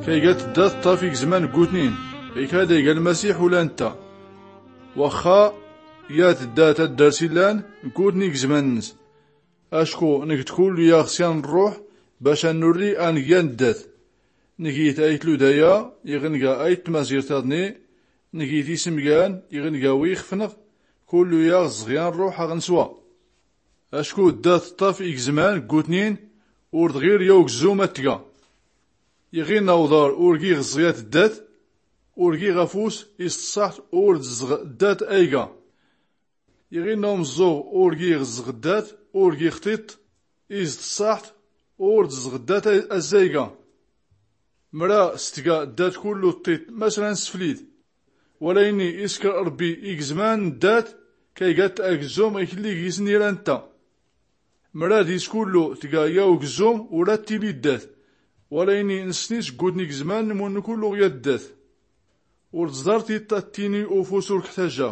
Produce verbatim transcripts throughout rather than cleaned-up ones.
Kaygat ddat ṭṭaf igzman n gutnin. Ikad ayga lmasiḥ ula ntta. Waxxa yat ddat ad-dars illan n gutni igzman-ns. Acku ngt kullu yaɣ syan n rruḥ bac ad-nurri angi n ddat. Ngi-t ayt ludaya iɣ nga ayt tmazirt iḍni. Ngi-t ismgan iɣ nga wi ixfnɣ. Kullu yaɣ ẓẓɣya n rruḥ aɣ-nswa. Acku ddat ṭṭaf igzman n gutnin. Ur d-ɣir yaw gzum ad-tga. Iɣinna uḍar ur giɣ ẓẓɣyat ddat. Ur giɣ afus is tṣṣaḥt ur d-ẓẓɣ ddat ayga. Iɣinna umẓẓuɣ ur giɣ ẓẓɣ ddat. Ur giɣ ṭiṭ is tṣṣaḥt ur d-ẓẓɣ ddat azzayga. Mra s-tga ddat kullu ṭiṭ masra n sflid. Wala ini iskr rbbi igzman n ddat kaygat agzum iklli gis-n ira ntta. Mra dis kullu tga yaw gzum ura ttili ddat. Wala ini nsni sggutni gzman n munn kullu ɣya ddat. Ur tẓḍar tiṭ ad-ttini ufus ur kḥtaja.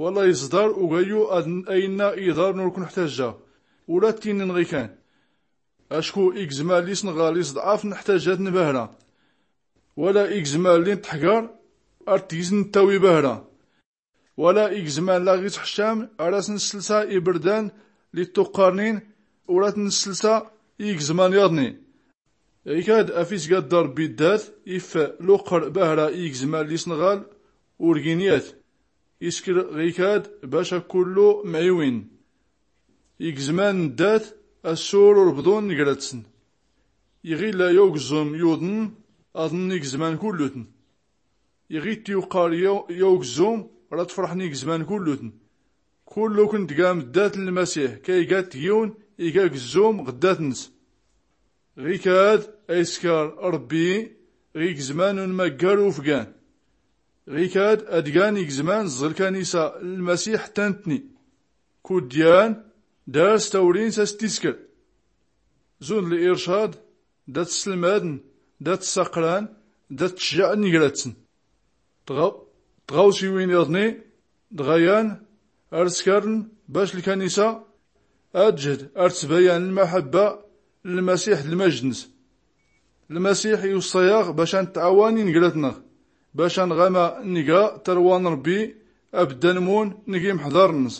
Wala iẓḍar ugayyu ad-ainna iḍarn ur knḥtaja. Ura ttini nɣikan. Acku igzman li snɣal isḍɛaf nḥtajat nbahra. Wala igzman li ntḥgar ar tgis nttawi bahra. Wala igzman laɣ itḥcam ar as-nslsa ibrdan li ttuqqarnin ur at-nslsa i igzman yaḍni. Ikad afis gadda rbbi ddat if luqqr bahra i igzman li snɣal ur gin yat. Iskr ɣikad bac akullu mɛiwin. Igzman n ddat assur ur bḍun ngrat-sn. Iɣ illa yaw gzum yuḍn aḍn igzman kullutn. Iɣ itt-yuqqar yaw gzum ra tfrḥn igzman kullutn. Kullukn tgam ddat n lmasiḥ kaygat yiwn iga gzum ɣ ddat-ns. Ɣikad ayskar rbbi ɣ igzman unmaggar ufgan. Ɣikad adgan igzman ẓẓ lkanisa n lmasiḥ ttantni. Kudyan dars tawrin s-as-tiskr. Zund l-ircad dat-slmadn dat-saqran dat-tcjaɛn ngrat-sn. Tɣawsiwin iḍni dɣayan ar-skarn bac lkanisa ad-tjhd ar-tsbayan lmaḥbba n lmasiḥ d-lmajd-ns. Lmasiḥ iwṣṣa-yaɣ bac a-ntɛawan ingrat-nɣ bac a-nɣama nga tarwa n rbbi abdda n-mun ngi mḥḍar-ns.